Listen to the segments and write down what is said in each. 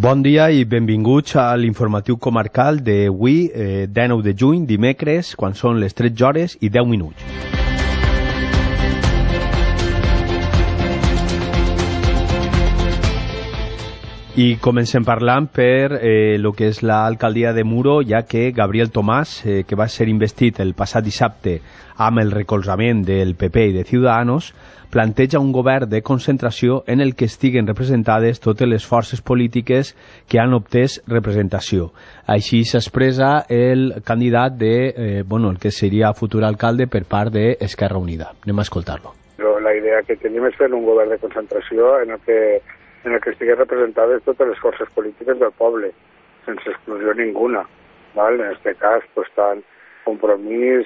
Bon dia i benvinguts a l'informatiu comarcal d'avui, 19 de juny, dimecres, quan són les 13 hores i 10 minuts. I comencem parlant per el que és l'alcaldia de Muro, ja que Gabriel Tomàs, que va ser investit el passat dissabte amb el recolzament del PP i de Ciudadanos, planteja un govern de concentració en el que estiguen representades totes les forces polítiques que han obtès representació. Així s'expressa el candidat de, el que seria futur alcalde per part d'Esquerra Unida. Anem a escoltar-lo. La idea que tenim és fer un govern de concentració en el que estiguin representades totes les forces polítiques del poble, sense exclusió ninguna. ¿vale? En este cas, pues, estan Compromís,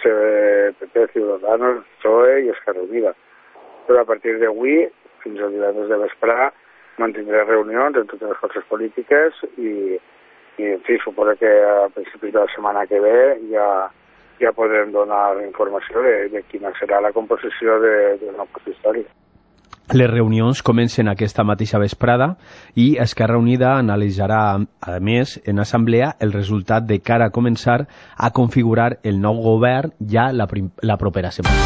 PP, Ciudadanos, PSOE i Esquerra Unida. Però a partir d'avui, fins al divendres de vesprà, mantindré reunions amb totes les forces polítiques i en fi, suposo que a principis de la setmana que ve ja podrem donar informació de quina serà la composició del nou consistori. Les reunions comencen aquesta mateixa vesprada i Esquerra Unida analitzarà, a més, en assemblea el resultat de cara a començar a configurar el nou govern ja la propera setmana.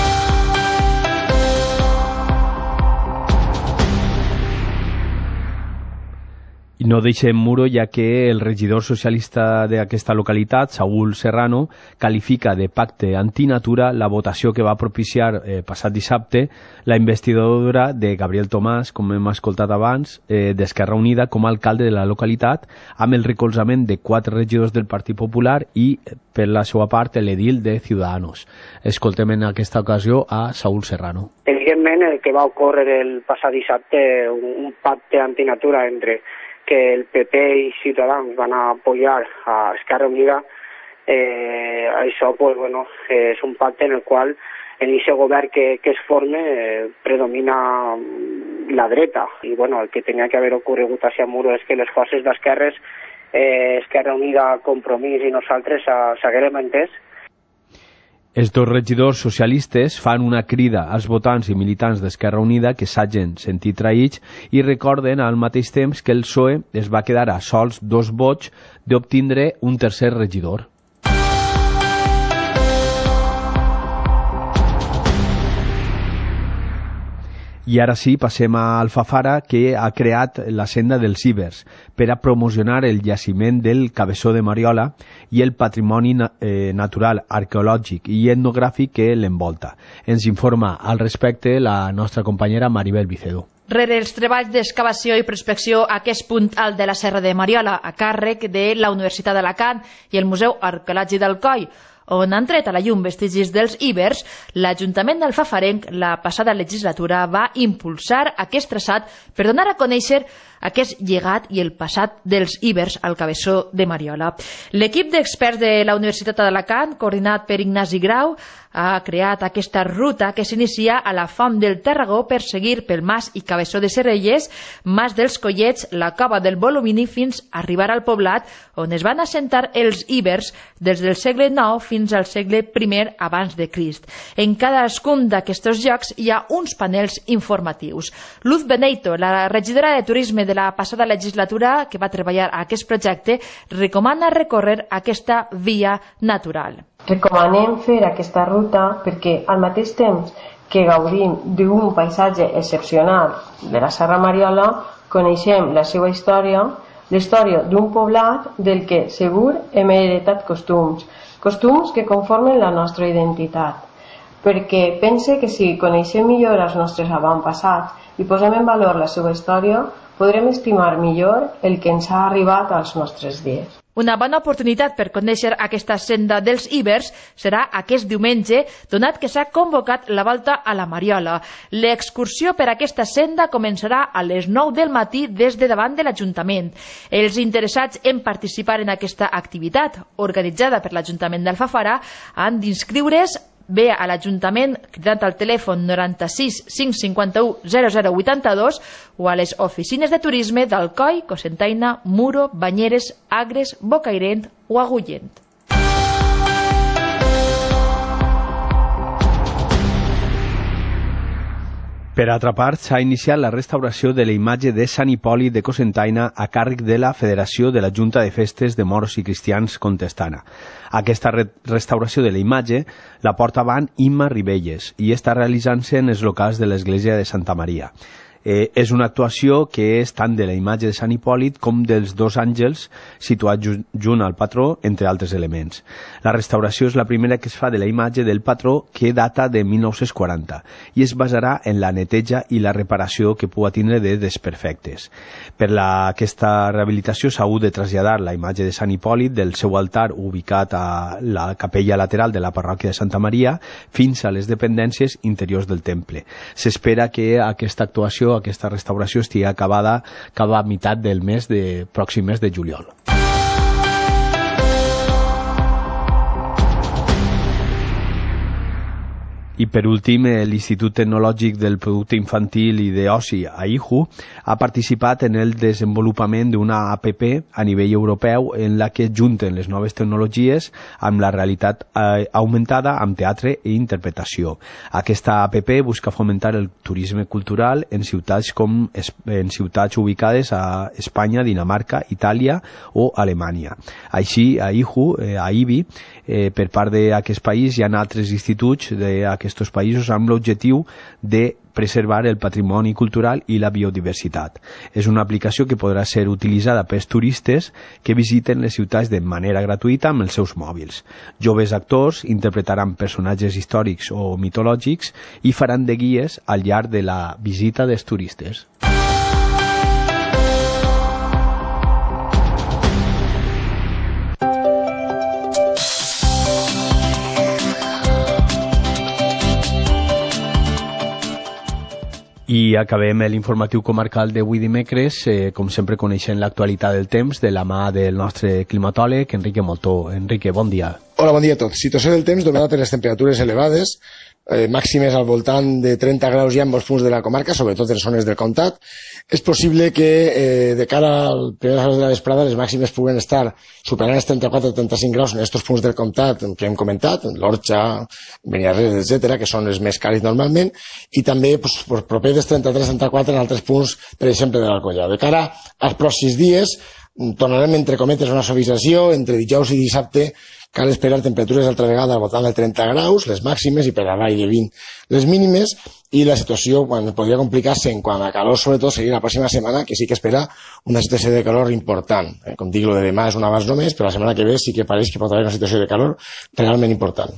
No deixem Muro, ja que el regidor socialista d'aquesta localitat, Saúl Serrano, qualifica de pacte antinatura la votació que va propiciar passat dissabte la investidura de Gabriel Tomàs, com hem escoltat abans, d'Esquerra Unida com a alcalde de la localitat, amb el recolzament de 4 regidors del Partit Popular i, per la seva part, l'edil de Ciudadanos. Escoltem en aquesta ocasió a Saúl Serrano. Evidentment, el que va ocórrer el passat dissabte, un pacte antinatura entre que el PP i Ciutadans van a apoyar a Esquerra Unida, això pues, és un pacte en el qual en aquest govern que es forme predomina la dreta i el que tenia que haver ocorregut a Muro és que les forces d'esquerres, Esquerra Unida, Compromís i nosaltres s'haguérem entès. Els dos regidors socialistes fan una crida als votants i militants d'Esquerra Unida que s'hagin sentit traïts i recorden al mateix temps que el PSOE es va quedar a sols 2 vots d'obtindre un tercer regidor. I ara sí, passem a Alfafara, que ha creat la senda dels Ibers per a promocionar el jaciment del Cabeçó de Mariola i el patrimoni natural, arqueològic i etnogràfic que l'envolta. Ens informa al respecte la nostra companyera Maribel Vicedo. Rere els treballs d'excavació i prospecció a aquest punt alt de la Serra de Mariola, a càrrec de la Universitat d'Alacant i el Museu Arqueològic d'Alcoi, on han tret a la llum vestigis dels Ibers, l'Ajuntament d'Alfafarenc la passada legislatura va impulsar aquest traçat per donar a conèixer aquest llegat i el passat dels Ibers al Cabeçó de Mariola. L'equip d'experts de la Universitat d'Alacant, coordinat per Ignasi Grau, ha creat aquesta ruta que s'inicia a la Font del Tarragó per seguir pel Mas i Cabeçó de Serrelles, Mas dels Collets, la Cova del Volumini fins a arribar al poblat on es van assentar els Ibers des del segle IX fins al segle I abans de Crist. En cadascun d'aquests llocs hi ha uns panels informatius. Luz Beneito, la regidora de Turisme de la passada legislatura que va treballar a aquest projecte, recomana recórrer aquesta via natural. Recomanem fer aquesta ruta perquè al mateix temps que gaudim d'un paisatge excepcional de la Serra Mariola, coneixem la seva història, la història d'un poblat del que segur hem heretat costums que conformen la nostra identitat. Perquè pense que si coneixem millor els nostres avantpassats i posem en valor la seva història, podrem estimar millor el que ens ha arribat als nostres dies. Una bona oportunitat per conèixer aquesta senda dels Ibers serà aquest diumenge, donat que s'ha convocat la volta a la Mariola. L'excursió per aquesta senda començarà a les 9 del matí des de davant de l'Ajuntament. Els interessats en participar en aquesta activitat, organitzada per l'Ajuntament d'Alfafara, han d'inscriure's bé a l'Ajuntament cridant al telèfon 96 551 0082 o a les oficines de turisme d'Alcoi, Cocentaina, Muro, Banyeres, Agres, Bocairent o Agullent. Per altra part, s'ha iniciat la restauració de la imatge de Sant Hipòlit de Cocentaina a càrrec de la Federació de la Junta de Festes de Moros i Cristians Contestana. Aquesta restauració de la imatge la porta avant Imma Ribelles i està realitzant-se en els locals de l'església de Santa Maria. És una actuació que és tant de la imatge de Sant Hipòlit com dels dos àngels situats junt al patró, entre altres elements. La restauració és la primera que es fa de la imatge del patró, que data de 1940 i es basarà en la neteja i la reparació que pugui tindre de desperfectes. Per aquesta rehabilitació s'ha hagut de traslladar la imatge de Sant Hipòlit del seu altar ubicat a la capella lateral de la parròquia de Santa Maria fins a les dependències interiors del temple. S'espera que aquesta actuació, aquesta restauració estigui acabada cap a meitat del pròxim mes de juliol. I per últim, l'Institut Tecnològic del Producte Infantil i d'Oci, AIHU, ha participat en el desenvolupament d'una APP a nivell europeu en la que junten les noves tecnologies amb la realitat augmentada amb teatre i interpretació. Aquesta APP busca fomentar el turisme cultural en ciutats ubicades a Espanya, Dinamarca, Itàlia o Alemanya. Així, a IBI, per part d'aquest país, hi ha altres instituts d'aquests països amb l'objectiu de preservar el patrimoni cultural i la biodiversitat. És una aplicació que podrà ser utilitzada pels turistes que visiten les ciutats de manera gratuïta amb els seus mòbils. Joves actors interpretaran personatges històrics o mitològics i faran de guies al llarg de la visita dels turistes. I acabem l'informatiu comarcal d'avui dimecres, com sempre coneixent l'actualitat del temps, de la mà del nostre climatòleg, Enrique Moltó. Enrique, bon dia. Hola, bon dia a tots. Situació del temps dominada per les temperatures elevades, màximes al voltant de 30 graus ja en molts punts de la comarca, sobretot en zones del comtat. És possible que de cara al primer hores de la vesprada les màximes puguen estar superant els 34-35 graus en aquests punts del comtat que hem comentat, l'Orxa, Beniarrés, etc., que són els més càlids normalment, i també proper dels 33-34 en altres punts, per exemple, de l'Alcoià. De cara als pròxims dies, tornarem entre cometes una suavització, entre dijous i dissabte cal esperar temperatures altra vegada al voltant de 30 graus, les màximes, i per avall de 20 les mínimes, i la situació podria complicar-se en quant a calor, sobretot seguir la pròxima setmana, que sí que espera una situació de calor important. Com dic, lo de demà és un avanç només, però la setmana que ve sí que pareix que pot haver una situació de calor realment important.